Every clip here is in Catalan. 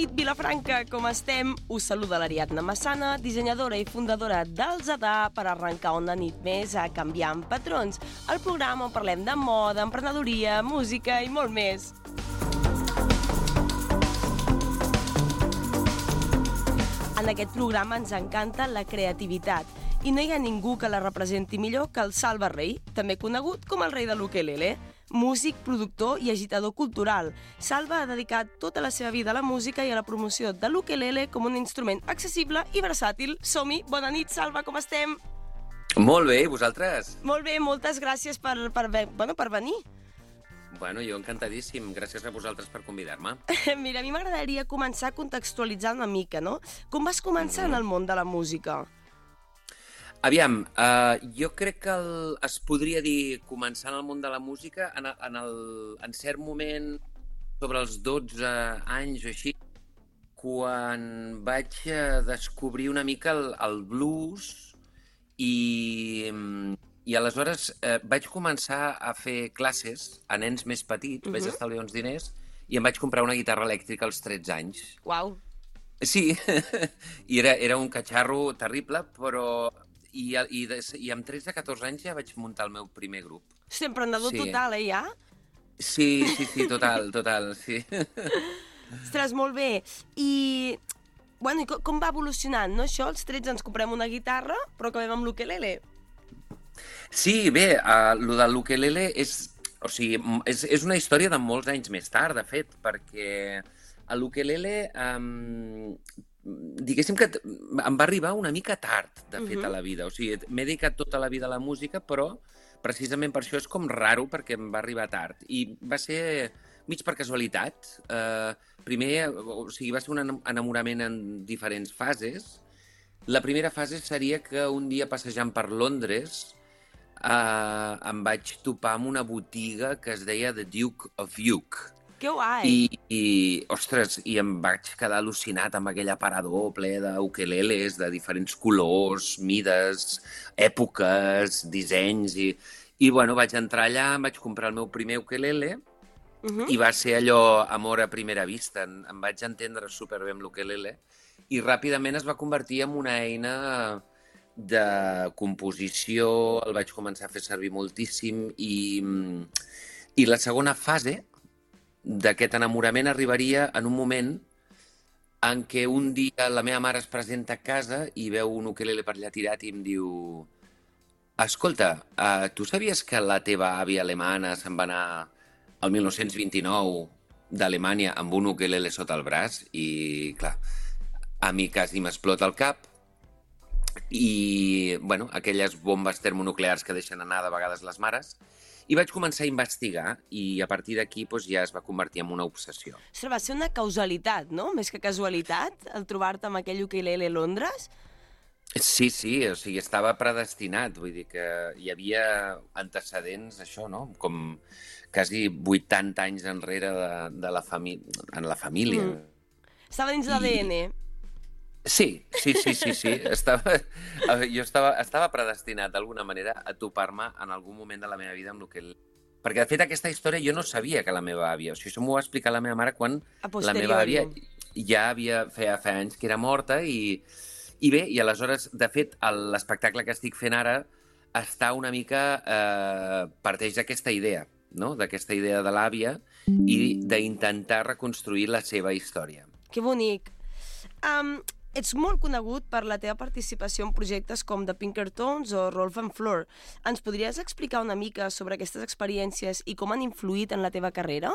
nit, Vilafranca, com estem? Us saluda l'Ariadna Massana, dissenyadora i fundadora del Zadà, per arrencar una nit més a Canviant Patrons, el programa on parlem de moda, emprenedoria, música i molt més. En aquest programa ens encanta la creativitat i no hi ha ningú que la representi millor que el Salva Rei, també conegut com el rei de l'ukelele. Músic, productor i agitador cultural, Salva ha dedicat tota la seva vida a la música i a la promoció de l'ukelele com un instrument accessible i versàtil. Som-hi! Bona nit, Salva, com estem? Molt bé, i vosaltres? Molt bé, moltes gràcies per venir. Bueno, jo encantadíssim. Gràcies a vosaltres per convidar-me. Mira, a mi m'agradaria començar contextualitzant una mica, no? Com vas començar en el món de la música? Aviam, jo crec que es podria dir, començar en el món de la música, en cert moment, sobre els 12 anys o així, quan vaig descobrir una mica el blues i aleshores vaig començar a fer classes a nens més petits, vaig estalviar uns diners i em vaig comprar una guitarra elèctrica als 13 anys. Uau! Sí, i era un catxarro terrible, però... I amb 13-14 anys ja vaig muntar el meu primer grup. Hosti, emprenedor total, ja? Sí, total, sí. Ostres, molt bé. I com va evolucionant, no, això? Als 13 ens comprem una guitarra, però acabem amb l'ukelele. Sí, bé, lo de l'ukelele és una història de molts anys més tard, de fet, perquè l'ukelele... diguéssim que em va arribar una mica tard, de fet, a la vida. O sigui, m'he dedicat tota la vida a la música, però precisament per això és com raro, perquè em va arribar tard. I va ser mig per casualitat. Primer, o sigui, va ser un enamorament en diferents fases. La primera fase seria que un dia, passejant per Londres, em vaig topar amb una botiga que es deia The Duke of York. Que guai! Ostres, i em vaig quedar al·lucinat amb aquell aparador ple d'ukeleles de diferents colors, mides, èpoques, dissenys, i bueno, vaig entrar allà, em vaig comprar el meu primer ukelele, i va ser allò amor a primera vista. Em vaig entendre superbé amb l'ukelele, i ràpidament es va convertir en una eina de composició, el vaig començar a fer servir moltíssim, i la segona fase d'aquest enamorament arribaria en un moment en què un dia la meva mare es presenta a casa i veu un ukelele per allà tirat i em diu: escolta, tu sabies que la teva àvia alemana se'n va anar el 1929 d'Alemanya amb un ukelele sota el braç? I, clar, a mi quasi m'explota el cap i, bueno, aquelles bombes termonuclears que deixen anar de vegades les mares. I vaig començar a investigar i a partir d'aquí ja es va convertir en una obsessió. Ostres, va ser una causalitat, no? Més que casualitat, el trobar-te amb aquell ukelele a Londres? Sí, o sigui, estava predestinat, vull dir que hi havia antecedents, això, no? Com quasi 80 anys enrere en la família. Estava dins l'ADN. Sí. Jo estava predestinat d'alguna manera a topar-me en algun moment de la meva vida amb l'ukelele. Perquè, de fet, aquesta història jo no sabia que la meva àvia... O sigui, això m'ho va explicar la meva mare quan la meva àvia ja feia anys que era morta i bé, i aleshores, de fet, l'espectacle que estic fent ara està una mica... parteix d'aquesta idea, no? D'aquesta idea de l'àvia i d'intentar reconstruir la seva història. Que bonic. Ets molt conegut per la teva participació en projectes com The Pinkertons o Rolf and Floor. Ens podries explicar una mica sobre aquestes experiències i com han influït en la teva carrera?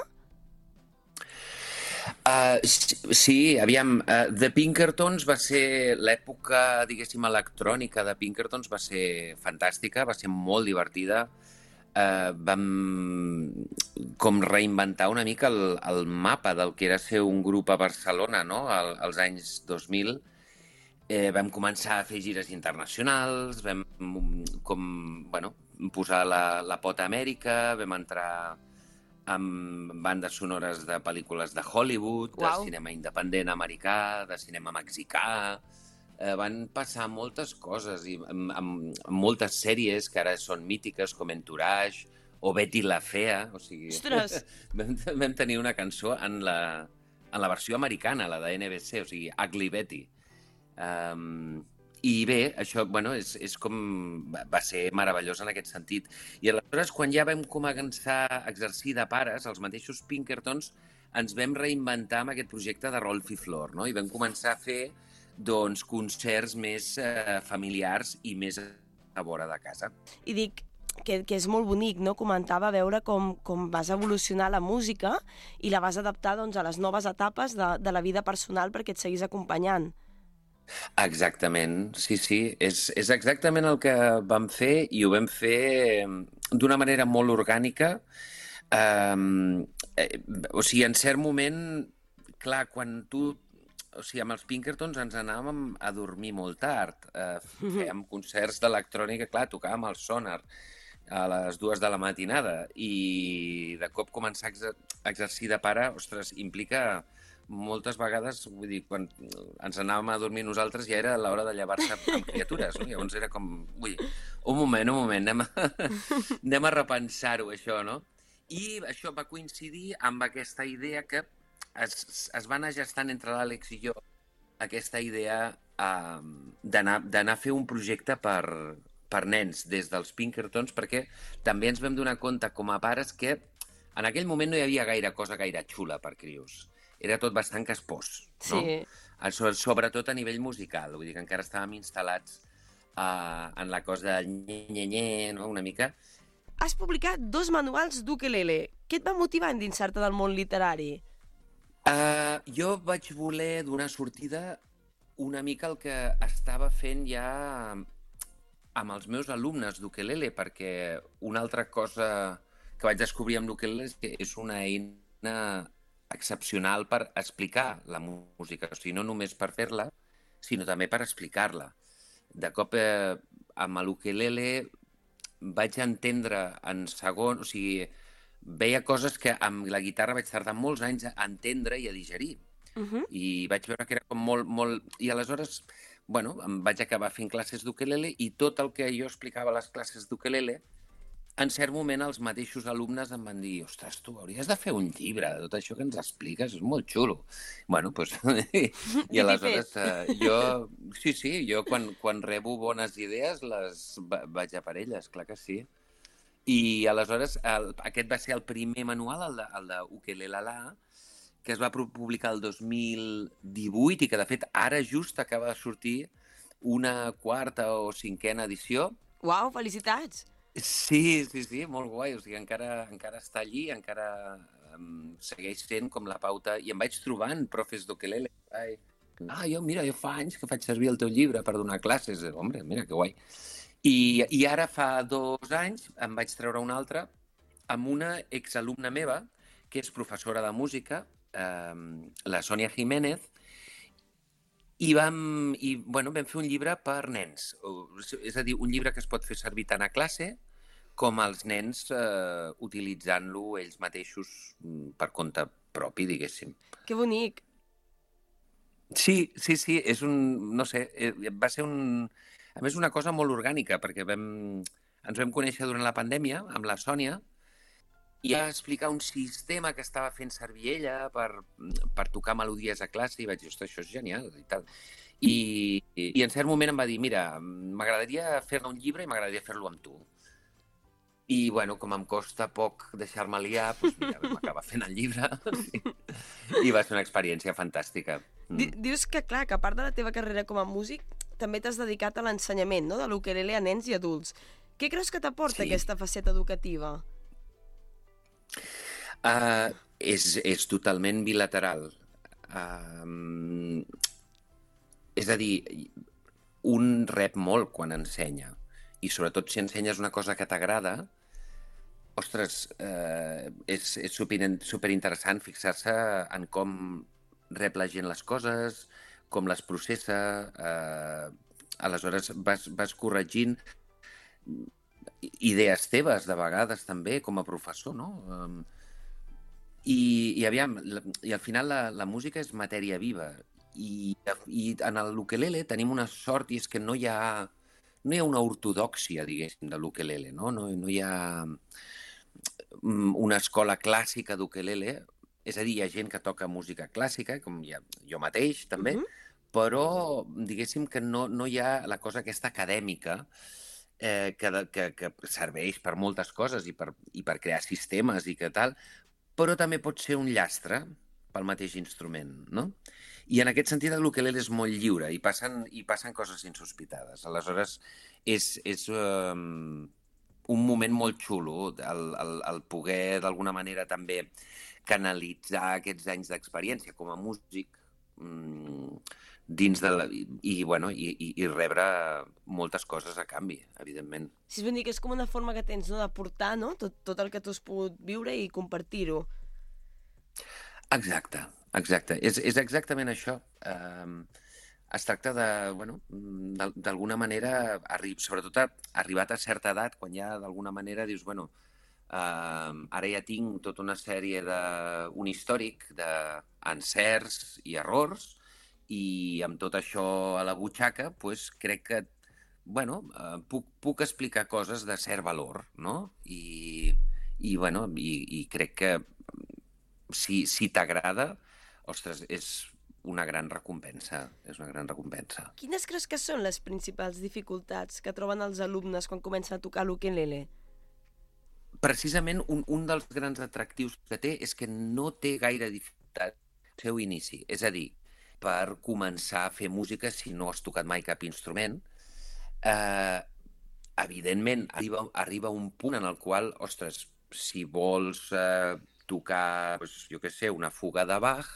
Sí, aviam, The Pinkertons va ser l'època, diguéssim, electrònica de Pinkertons, va ser fantàstica, va ser molt divertida. Vam com reinventar una mica el mapa del que era ser un grup a Barcelona, no? Als anys 2000. Vam començar a fer gires internacionals, vam posar la pota a Amèrica, vam entrar amb bandes sonores de pel·lícules de Hollywood, de cinema independent americà, de cinema mexicà. Van passar moltes coses, i amb moltes sèries que ara són mítiques, com Entourage o Betty la Fea. O sigui, ostres! Vam tenir una cançó en en la versió americana, la de NBC, o sigui, Ugly Betty. I bé, això és com... va ser meravellós en aquest sentit. I aleshores, quan ja vam començar a exercir de pares, els mateixos Pinkertons ens vam reinventar amb aquest projecte de Rolf i Flor, no? I vam començar a fer concerts més familiars i més a vora de casa. I dic que és molt bonic, no? Comentava veure com vas evolucionar la música i la vas adaptar a les noves etapes de la vida personal perquè et seguís acompanyant. Exactament, sí. És exactament el que vam fer i ho vam fer d'una manera molt orgànica. O sigui, en cert moment, clar, quan tu... O sigui, amb els Pinkertons ens anàvem a dormir molt tard. Fèiem concerts d'electrònica, clar, tocàvem el Sonar a les 2 de la matinada i de cop començar a exercir de pare, ostres, implica moltes vegades, vull dir, quan ens anàvem a dormir nosaltres ja era l'hora de llevar-se amb criatures, no? Llavors era com, ui, un moment, anem a repensar-ho, això, no? I això va coincidir amb aquesta idea que es va anar gestant entre l'Àlex i jo, aquesta idea d'anar a fer un projecte per nens des dels Pinkertons, perquè també ens vam donar compte com a pares que en aquell moment no hi havia gaire cosa gaire xula per crios. Era tot bastant caspós, no? Sí. Sobretot a nivell musical, vull dir que encara estàvem instal·lats en la cosa del nye-nye-nye, no? Una mica. Has publicat 2 manuals d'ukelele. Què et va motivar a endinsar-te del món literari? Jo vaig voler donar sortida una mica al que estava fent ja amb els meus alumnes d'ukelele, perquè una altra cosa que vaig descobrir amb l'ukelele és que és una eina excepcional per explicar la música, o sigui, no només per fer-la, sinó també per explicar-la. De cop, amb l'ukelele vaig entendre en segon, o sigui, veia coses que amb la guitarra vaig tardar molts anys a entendre i a digerir. I vaig veure que era com molt... I aleshores, em vaig acabar fent classes d'ukelele i tot el que jo explicava a les classes d'ukelele, en cert moment els mateixos alumnes em van dir ostres, tu hauries de fer un llibre de tot això que ens expliques, és molt xulo. Doncs... I aleshores jo... Sí, jo quan rebo bones idees les vaig a per elles, clar que sí. I aleshores aquest va ser el primer manual, el d'Ukelelala, que es va publicar el 2018 i que de fet ara just acaba de sortir una 4ª o 5ª edició. Uau, felicitats! Sí, molt guai, o sigui, encara està allí, encara segueix sent com la pauta, i em vaig trobant profes d'ukelele. Jo fa anys que faig servir el teu llibre per donar classes, home, mira que guai. I ara fa 2 anys em vaig treure un altre amb una exalumna meva, que és professora de música, la Sònia Jiménez, i vam fer un llibre per nens, és a dir, un llibre que es pot fer servir tant a classe com els nens utilitzant-lo ells mateixos per compte propi, diguéssim. Que bonic! Sí, és no sé, va ser a més una cosa molt orgànica, perquè ens vam conèixer durant la pandèmia amb la Sònia i va explicar un sistema que estava fent servir ella per tocar melodies a classe i vaig dir, ostres, això és genial i tal. I en cert moment em va dir, mira, m'agradaria fer-ne un llibre i m'agradaria fer-lo amb tu. I, com em costa poc deixar-me liar, doncs mira, vam acabar fent el llibre i va ser una experiència fantàstica. Dius que, clar, que a part de la teva carrera com a músic, també t'has dedicat a l'ensenyament, no?, de l'ukelele a nens i adults. Què creus que t'aporta aquesta faceta educativa? És totalment bilateral. És a dir, un rep molt quan ensenya, i sobretot si ensenyes una cosa que t'agrada, ostres, és superinteressant fixar-se en com rep la gent les coses, com les processa, aleshores vas corregint idees teves, de vegades també, com a professor, no? I al final la música és matèria viva, i en l'ukelele tenim una sort, i és que no hi ha una ortodòxia, diguéssim, de l'ukelele, no hi ha una escola clàssica d'ukelele, És a dir, hi ha gent que toca música clàssica, com jo mateix també, però diguéssim que no hi ha la cosa aquesta acadèmica que serveix per moltes coses i per crear sistemes i que tal, però també pot ser un llastre pel mateix instrument, no? I en aquest sentit l'ukelele és molt lliure i passen coses insospitades. Aleshores, és un moment molt xulo el poder d'alguna manera també canalitzar aquests anys d'experiència com a músic dins de i rebre moltes coses a canvi, evidentment. Sí, és ben dir que és com una forma que tens, no?, de portar, no?, tot el que tu has pogut viure i compartir-ho. Exacte. És exactament això. Es tracta de, d'alguna manera, sobretot arribat a certa edat, quan ja d'alguna manera dius, ara ja tinc tota una sèrie un històric d'encerts i errors, i amb tot això a la butxaca, doncs crec que puc explicar coses de cert valor, no? I crec que si t'agrada, ostres, és una gran recompensa. Quines creus que són les principals dificultats que troben els alumnes quan comencen a tocar l'ukelele? Precisament un dels grans atractius que té és que no té gaire dificultat al seu inici. És a dir, per començar a fer música, si no has tocat mai cap instrument, evidentment arriba un punt en el qual, ostres, si vols tocar, jo què sé, una fuga de Bach,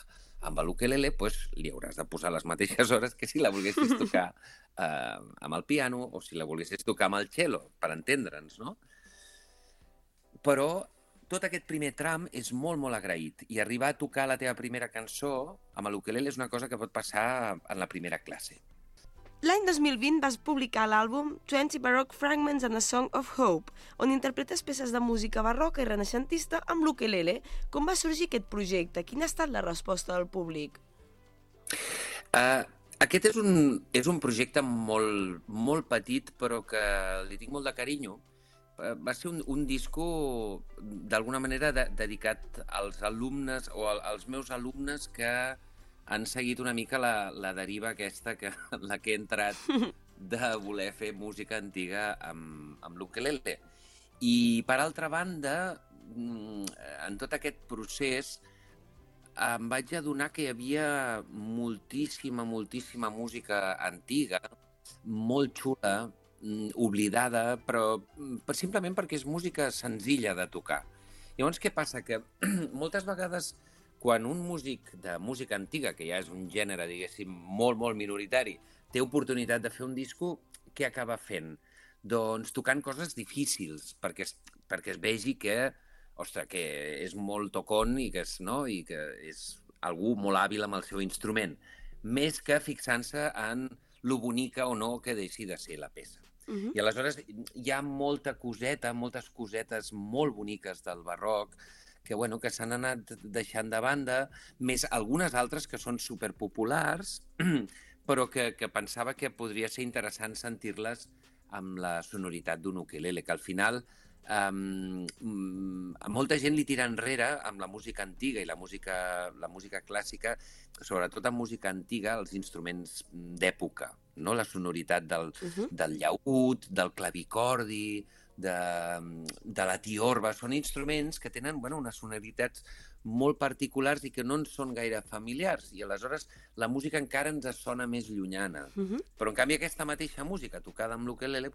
amb l'ukelele li hauràs de posar les mateixes hores que si la volguessis tocar amb el piano o si la volguessis tocar amb el cello, per entendre'ns, no? Però tot aquest primer tram és molt, molt agraït i arribar a tocar la teva primera cançó amb l'ukelele és una cosa que pot passar en la primera classe. L'any 2020 vas publicar l'àlbum 20 Baroque Fragments and a Song of Hope, on interpretes peces de música barroca i renaixentista amb l'ukelele. Com va sorgir aquest projecte? Quina ha estat la resposta del públic? Aquest és un projecte molt, molt petit, però que li tinc molt de carinyo. Va ser un disco, d'alguna manera, dedicat als alumnes o als meus alumnes que han seguit una mica la deriva aquesta, la que he entrat de voler fer música antiga amb l'ukelele. I, per altra banda, en tot aquest procés, em vaig adonar que hi havia moltíssima música antiga, molt xula, oblidada, però simplement perquè és música senzilla de tocar. Llavors, què passa? Que moltes vegades, quan un músic de música antiga, que ja és un gènere, diguéssim, molt, molt minoritari, té oportunitat de fer un disco, què acaba fent? Doncs tocant coses difícils, perquè es vegi que, ostres, que és molt tocón i que és algú molt hàbil amb el seu instrument, més que fixant-se en lo bonica o no que deixi de ser la peça. I aleshores hi ha moltes cosetes molt boniques del barroc que s'han anat deixant de banda, més algunes altres que són superpopulars, però que pensava que podria ser interessant sentir-les amb la sonoritat d'un ukelele, que al final a molta gent li tira enrere amb la música antiga i la música clàssica, sobretot en música antiga, els instruments d'època, no? La sonoritat del llaüt, del clavicordi, de la tiorba. Són instruments que tenen unes sonoritats molt particulars i que no ens són gaire familiars, i aleshores la música encara ens sona més llunyana. Però en canvi aquesta mateixa música tocada amb l'ukelele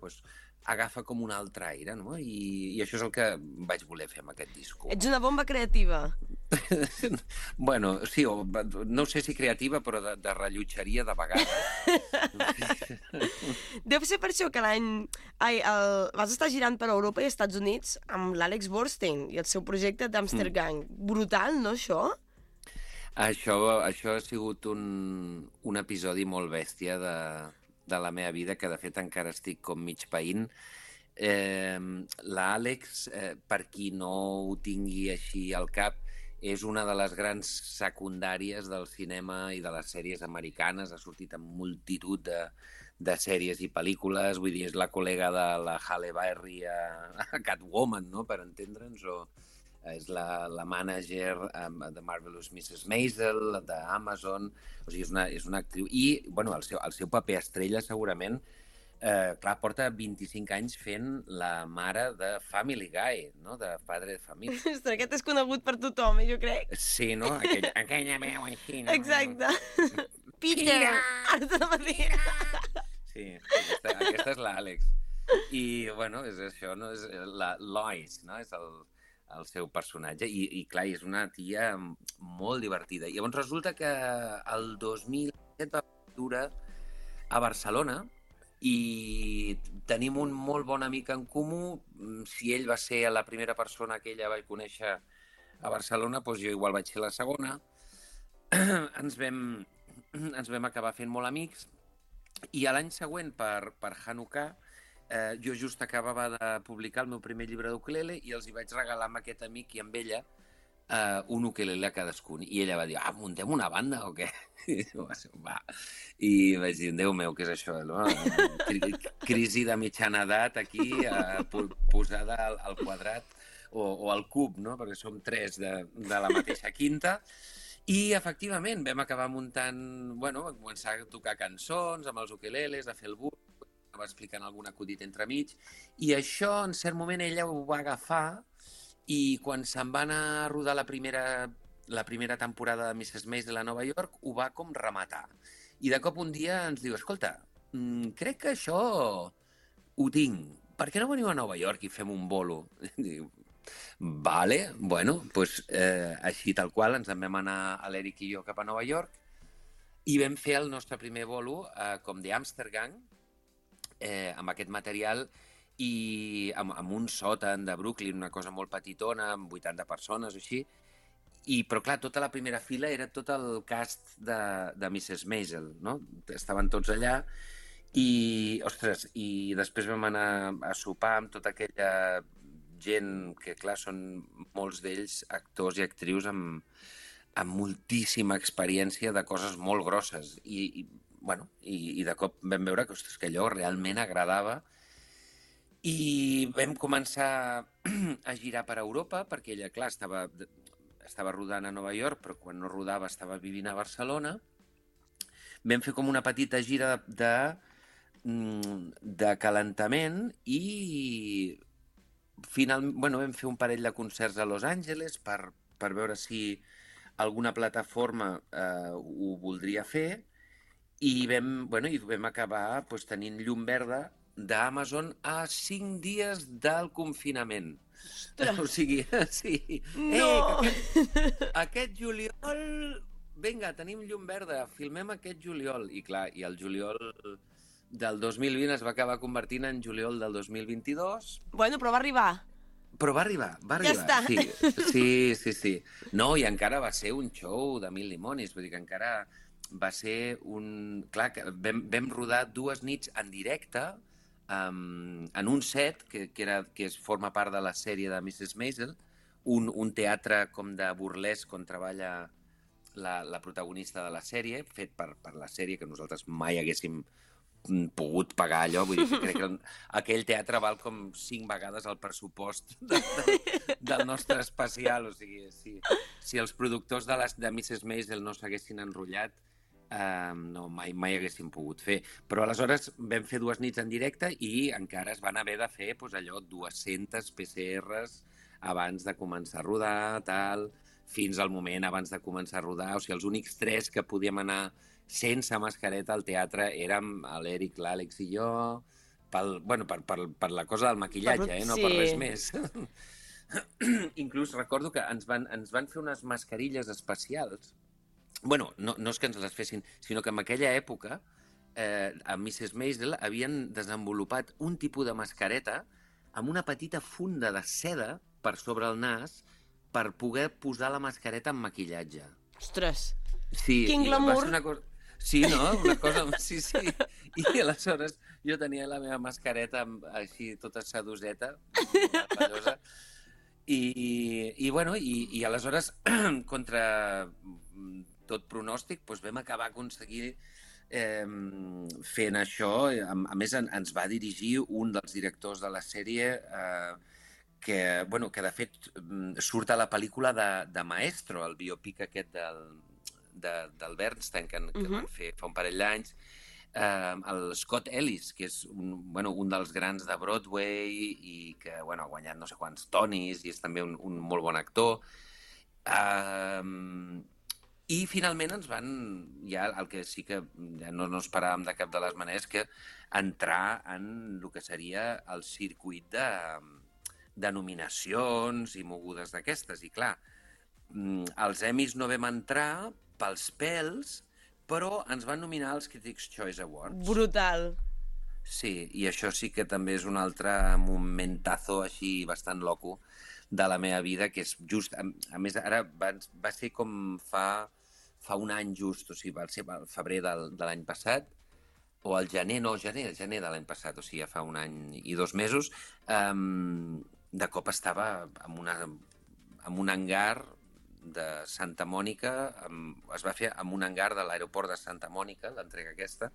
agafa com un altre aire, no? I això és el que vaig voler fer amb aquest disco. Ets una bomba creativa. Sí, no sé si creativa, però de rellotgeria de vegades. Deu ser per això que vas estar girant per Europa i Estats Units amb l'Àlex Borstein i el seu projecte d'Amster Gang. Brutal, no, això? Això ha sigut un episodi molt bèstia de la meva vida, que de fet encara estic com mig païnt. L'Àlex, per qui no ho tingui així al cap, és una de les grans secundàries del cinema i de les sèries americanes. Ha sortit en multitud de sèries i pel·lícules. Vull dir, és la col·lega de la Halle Berry a Catwoman, no?, per entendre'ns. és la mànager de Marvelous Mrs. Maisel, d'Amazon, o sigui, és una actriu. I, bueno, el seu paper estrella, segurament, clar, porta 25 anys fent la mare de Family Guy, no?, de Padre de Família. Ostres, aquest és conegut per tothom, jo crec. Sí, no? Aquella veu així, no? Exacte. Peter! Sí, aquesta és l'Àlex. I, bueno, és això, no? És la Lois, no? És el seu personatge. I clar, és una tia molt divertida. I llavors resulta que el 2007 va viure a Barcelona i tenim un molt bon amic en comú. Si ell va ser la primera persona que ella vaig conèixer a Barcelona, doncs jo igual vaig ser la segona. Ens vam acabar fent molt amics i l'any següent, per Hanukkah, jo just acabava de publicar el meu primer llibre d'ukelele i els hi vaig regalar amb aquest amic i amb ella un ukelele a cadascun. I ella va dir, muntem una banda o què? Va. I vaig dir, Déu meu, què és això? No? Crisi de mitjana edat aquí, posada al quadrat o al cub, no? Perquè som 3 de la mateixa quinta. I, efectivament, vam acabar muntant... Bueno, vam començar a tocar cançons amb els ukeleles, a fer el buc, va explicant algun acudit entremig, i això, en cert moment, ella ho va agafar, i quan se'n va anar a rodar la primera temporada de Mrs. Maisel a Nova York, ho va com rematar. I de cop un dia ens diu, escolta, crec que això ho tinc, per què no veniu a Nova York i fem un bolo? Diu, vale, bueno, doncs així tal qual ens en vam anar a l'Eric i jo cap a Nova York i vam fer el nostre primer bolo com de Amsterdam amb aquest material i amb un sòtan de Brooklyn, una cosa molt petitona, amb 80 persones o així. Però clar, tota la primera fila era tot el cast de Mrs. Maisel, no? Estaven tots allà i, ostres, i després vam anar a sopar amb tota aquella gent que, clar, són molts d'ells actors i actrius amb moltíssima experiència de coses molt grosses. I de cop vam veure que, ostres, que allò realment agradava. I vam començar a girar per Europa, perquè ella, clar, estava rodant a Nova York, però quan no rodava estava vivint a Barcelona. Vam fer com una petita gira de calentament i finalment vam fer un parell de concerts a Los Angeles per veure si alguna plataforma ho voldria fer i vam acabar tenint llum verda d'Amazon a 5 dies del confinament. O sigui, sí. No! Aquest juliol... Vinga, tenim llum verda, filmem aquest juliol. I clar, i el juliol del 2020 es va acabar convertint en juliol del 2022. Bueno, però va arribar. Però va arribar. Ja està. Sí. No, i encara va ser un show de mil dimonis, vull dir que encara va ser un... Clar, que vam rodar 2 nits en directe en un set que forma part de la sèrie de Mrs. Maisel, un teatre com de burlesc on treballa la protagonista de la sèrie, fet per la sèrie, que nosaltres mai haguéssim pogut pagar allò, vull dir que crec que aquell teatre val com 5 vegades el pressupost del nostre especial, o sigui, si els productors de Mrs. Maisel no s'haguessin enrotllat, no, mai haguéssim pogut fer. Però aleshores vam fer 2 nits en directe i encara es van haver de fer allò 200 PCRs abans de començar a rodar, tal, fins al moment abans de començar a rodar. O sigui, els únics 3 que podíem anar sense mascareta al teatre érem l'Eric, l'Àlex i jo, per la cosa del maquillatge, no per res més. Inclús recordo que ens van fer unes mascarilles especials. Bueno, no és que ens les fessin, sinó que en aquella època a Mrs. Maisel havien desenvolupat un tipus de mascareta amb una petita funda de seda per sobre el nas per poder posar la mascareta en maquillatge. Ostres, sí, quin glamour! Sí, no? Una cosa... Sí. I aleshores jo tenia la meva mascareta així tota sedoseta, ballosa, i aleshores, contra tot pronòstic, vam acabar aconseguir fent això. A més, ens va dirigir un dels directors de la sèrie bueno, que de fet surt a la pel·lícula de Maestro, el biopic aquest del Bernstein que van fer fa un parell d'anys, el Scott Ellis, que és un dels grans de Broadway i que ha guanyat no sé quants Tonys i és també un molt bon actor. I finalment ens van, ja el que sí que ja no esperàvem de cap de les maneres, que entrar en el que seria el circuit de nominacions i mogudes d'aquestes. I clar, els Emmys no vam entrar pels pèls, però ens van nominar als Critics' Choice Awards. Brutal. Sí, i això sí que també és un altre momentazo així bastant loco de la meva vida, que és just... A més, ara va ser com fa un any just, o sigui, va ser el febrer de l'any passat, o el gener de l'any passat, o sigui, ja fa un any i 2 mesos, de cop estava en un hangar de Santa Mònica, es va fer en un hangar de l'aeroport de Santa Mònica, l'entrega aquesta,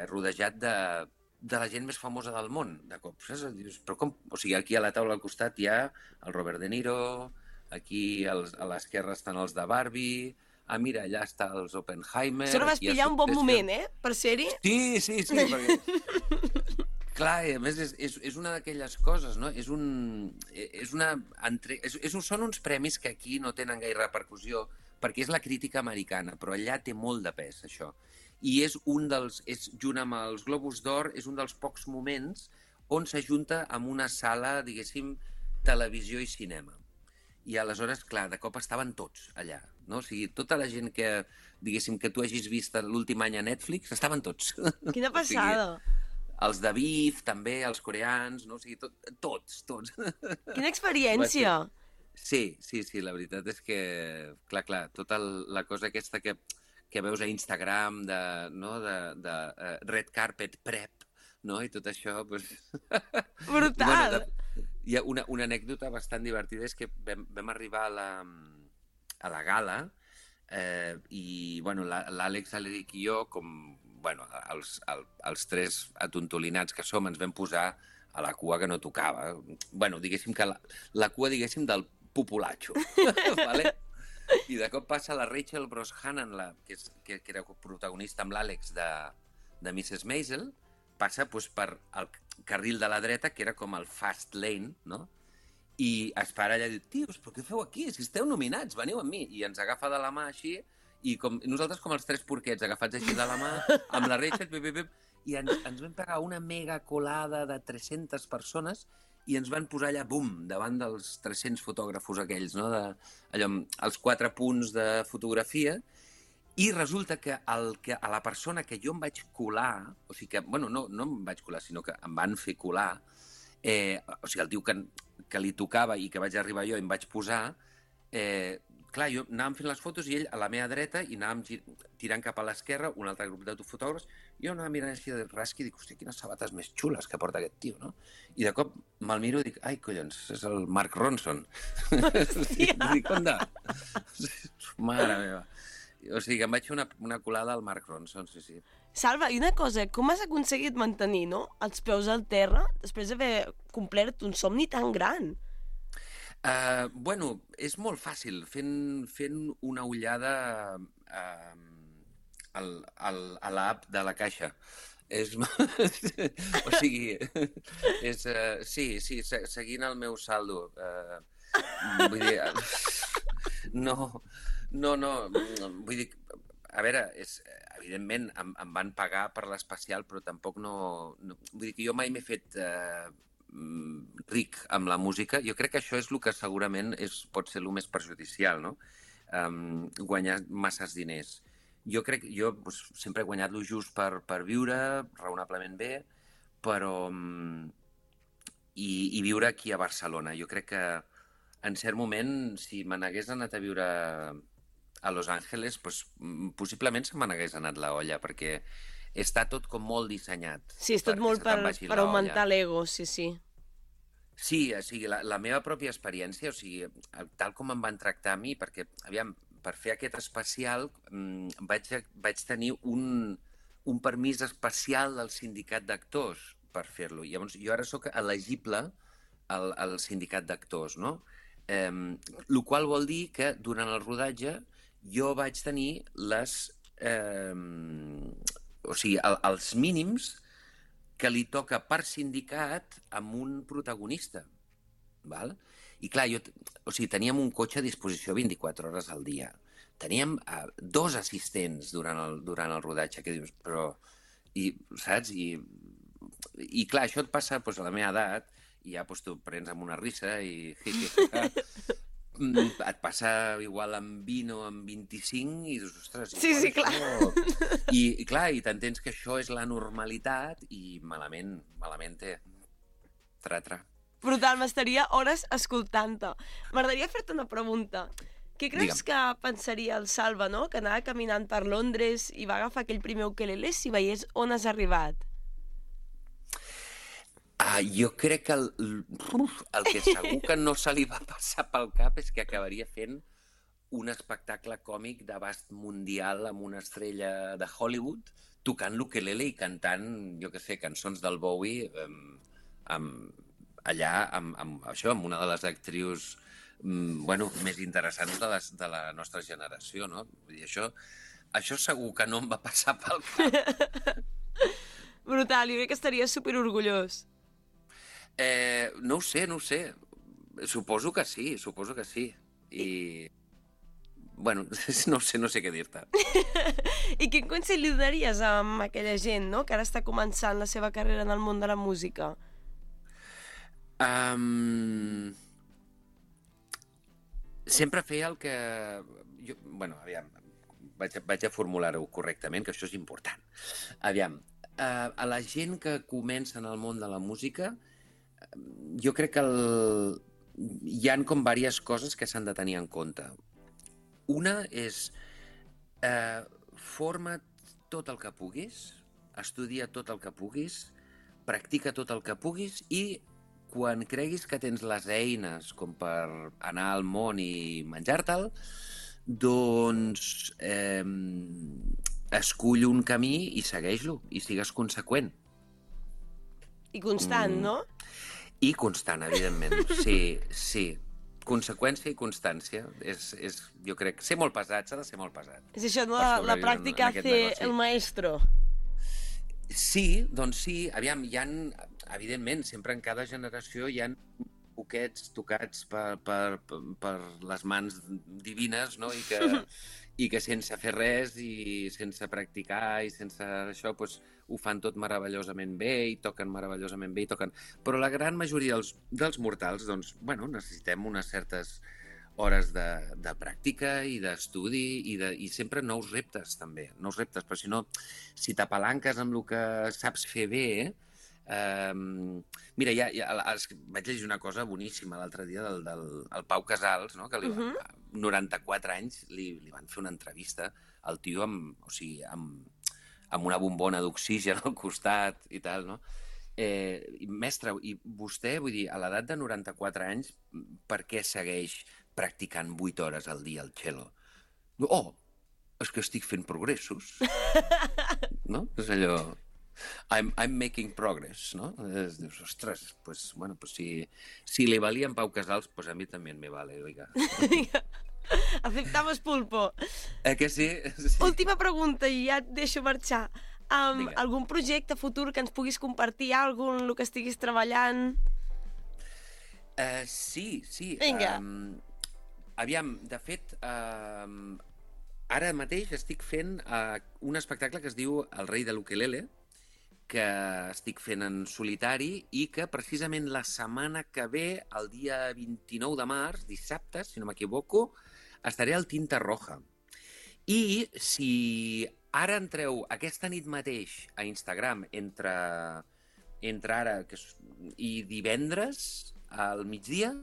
rodejat de la gent més famosa del món, de cop. Saps? Però com? O sigui, aquí a la taula al costat hi ha el Robert De Niro, aquí a l'esquerra estan els de Barbie, mira, allà està els Oppenheimer... Sort vas pillar un bon moment, per ser-hi? Sí, perquè... Clar, a més, és una d'aquelles coses, no? Són uns premis que aquí no tenen gaire repercussió, perquè és la crítica americana, però allà té molt de pes, això. I junt amb els Globus d'Or, és un dels pocs moments on s'ajunta amb una sala, diguéssim, televisió i cinema. I aleshores, clar, de cop estaven tots allà, no? O sigui, tota la gent que, diguéssim, que tu hagis vist l'últim any a Netflix, estaven tots. Quina passada! O sigui, els de Beef, també, els coreans, no? O sigui, tots. Quina experiència! Sí, la veritat és que, clar, tota la cosa aquesta que veus a Instagram de red carpet prep, no? I tot això, doncs... Brutal! Hi ha una anècdota bastant divertida, és que vam arribar a la gala i, l'Àlex, l'Eric i jo, com, els 3 atontolinats que som, ens vam posar a la cua que no tocava. Diguéssim que la cua, diguéssim, del populatxo, vale? I de cop passa la Rachel Brosnahan, que era protagonista amb l'Àlex de Mrs. Maisel, passa per el carril de la dreta, que era com el fast lane, no? I es para allà i diu, tios, però què feu aquí? Si esteu nominats, veniu amb mi. I ens agafa de la mà així, i nosaltres com els 3 porquets agafats així de la mà, amb la Rachel, i ens vam pegar una mega colada de 300 persones i ens van posar allà, bum, davant dels 300 fotògrafos aquells, no? Els 4 punts de fotografia. I resulta que a la persona que jo em vaig colar, o sigui que, no em vaig colar, sinó que em van fer colar, o sigui, el tio que li tocava i que vaig arribar jo i em vaig posar, clar, jo anàvem fent les fotos i ell a la meva dreta i anàvem tirant cap a l'esquerra un altre grup de fotògrafs, i jo anava mirant així de rasqui i dic, hòstia, quines sabates més xules que porta aquest tio, no? I de cop me'l miro i dic, ai, collons, és el Mark Ronson. Dic, onda? Mare meva. O sigui, que em vaig fer una colada al Mark Ronson, sí. Salva, i una cosa, com has aconseguit mantenir, no?, els peus al terra després d'haver complert un somni tan gran? És molt fàcil, fent una ullada a l'app de la Caixa. O sigui, sí, seguint el meu saldo. Vull dir, no, vull dir, a veure, evidentment em van pagar per l'especial, però tampoc no... Vull dir que jo mai m'he fet ric amb la música. Jo crec que això és el que segurament pot ser el més perjudicial, no? Guanyar masses diners. Jo sempre he guanyat lo just per viure raonablement bé, però... I viure aquí a Barcelona. Jo crec que en cert moment, si me n'hagués anat a viure a Los Angeles, possiblement se me n'hagués anat la olla, perquè està tot com molt dissenyat. Sí, és tot molt per augmentar l'ego, sí. Sí, o sigui, la meva pròpia experiència, o sigui, tal com em van tractar a mi, perquè, aviam, per fer aquest especial vaig tenir un permís especial del sindicat d'actors per fer-lo. Llavors, jo ara sóc elegible el sindicat d'actors, no? El qual vol dir que durant el rodatge jo vaig tenir o sigui, els mínims que li toca per sindicat amb un protagonista. Val? I clar, o sigui, teníem un cotxe a disposició 24 hores al dia. Teníem 2 assistents durant el rodatge, que dius, però... saps? I clar, això et passa doncs, a la meva edat, i ja doncs, tu prens amb una risa i... et passa igual amb 20 o amb 25 i dius, ostres... Sí, clar. I clar, i t'entens que això és la normalitat i malament té. Tra. Brutal, m'estaria hores escoltant-te. M'agradaria fer-te una pregunta. Què creus que pensaria el Salva, no?, que anava caminant per Londres i va agafar aquell primer ukelele si veiés on has arribat? Jo crec que el que segur que no se li va passar pel cap és que acabaria fent un espectacle còmic d'abast mundial amb una estrella de Hollywood tocant l'ukelele i cantant, jo què sé, cançons del Bowie allà amb una de les actrius més interessants de la nostra generació, no? Vull dir, això segur que no em va passar pel cap. Brutal, jo crec que estaria superorgullós. No ho sé. Suposo que sí. I... no sé què dir-te. I quin consell li donaries a aquella gent, no?, que ara està començant la seva carrera en el món de la música? Sempre fer el que... aviam, vaig a formular-ho correctament, que això és important. Aviam, a la gent que comença en el món de la música, jo crec que hi han com diverses coses que s'han de tenir en compte. Una és forma't tot el que puguis, estudia tot el que puguis, practica tot el que puguis i quan creguis que tens les eines com per anar al món i menjar-te'l, doncs escull un camí i segueix-lo, i sigues conseqüent. I constant, no? I constant, evidentment, sí. Conseqüència i constància. Jo crec, ser molt pesat, s'ha de ser molt pesat. És això, no? La pràctica hace el maestro. Sí, doncs sí. Aviam, evidentment, sempre en cada generació hi ha poquets tocats per les mans divines, no? I que sense fer res i sense practicar i sense això, doncs, ho fan tot meravellosament bé i toquen meravellosament bé i toquen... Però la gran majoria dels mortals, doncs, necessitem unes certes hores de pràctica i d'estudi i sempre nous reptes, també. Nous reptes, però si no, si t'apalanques amb el que saps fer bé... Mira, vaig llegir una cosa boníssima l'altre dia del Pau Casals, no? Que 94 anys li van fer una entrevista al tio amb una bombona d'oxigen al costat i tal, no? Mestre, i vostè, vull dir, a l'edat de 94 anys, per què segueix practicant 8 hores al dia el cello? Oh, és que estic fent progressos. No? És allò... I'm making progress, no? Dius, ostres, pues si li valia en Pau Casals, pues a mi també me vale, oiga. Aceptamos pulpo. Que sí? Última pregunta i ja et deixo marxar. Algun projecte futur que ens puguis compartir, el que estiguis treballant? Sí. Vinga. Aviam, de fet, ara mateix estic fent un espectacle que es diu El rei de l'ukelele, que estic fent en solitari i que precisament la setmana que ve, el dia 29 de març, dissabte, si no m'equivoco, estaré al Tinta Roja. I si ara entreu aquesta nit mateix a Instagram entre ara i divendres al migdia,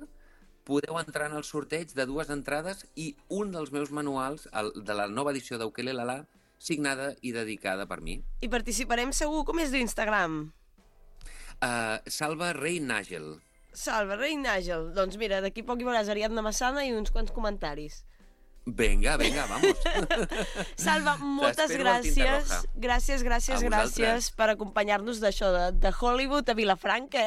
podeu entrar en el sorteig de 2 entrades i un dels meus manuals de la nova edició d'Ukelele, signada i dedicada per mi. I participarem segur. Com és l'Instagram? Salva Rei Nàgel. Salva Rei Nàgel. Doncs mira, d'aquí poc hi veuràs Ariadna Massana i uns quants comentaris. Vinga, vamos. Salva, moltes T'espero al gràcies. Tinta Gràcies A vosaltres. per acompanyar-nos d'això, de Hollywood a Vilafranca,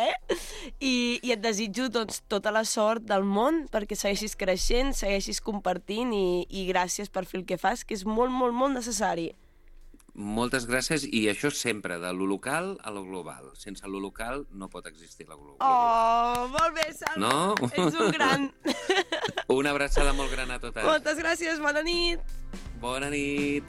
I et desitjo doncs, tota la sort del món perquè segueixis creixent, segueixis compartint i gràcies per fer el que fas, que és molt, molt, molt necessari. Moltes gràcies, i això sempre, de lo local a lo global. Sense lo local no pot existir la global. Oh, molt bé, Salva. No? Ets un gran. Una abraçada molt gran a totes. Moltes gràcies, bona nit. Bona nit.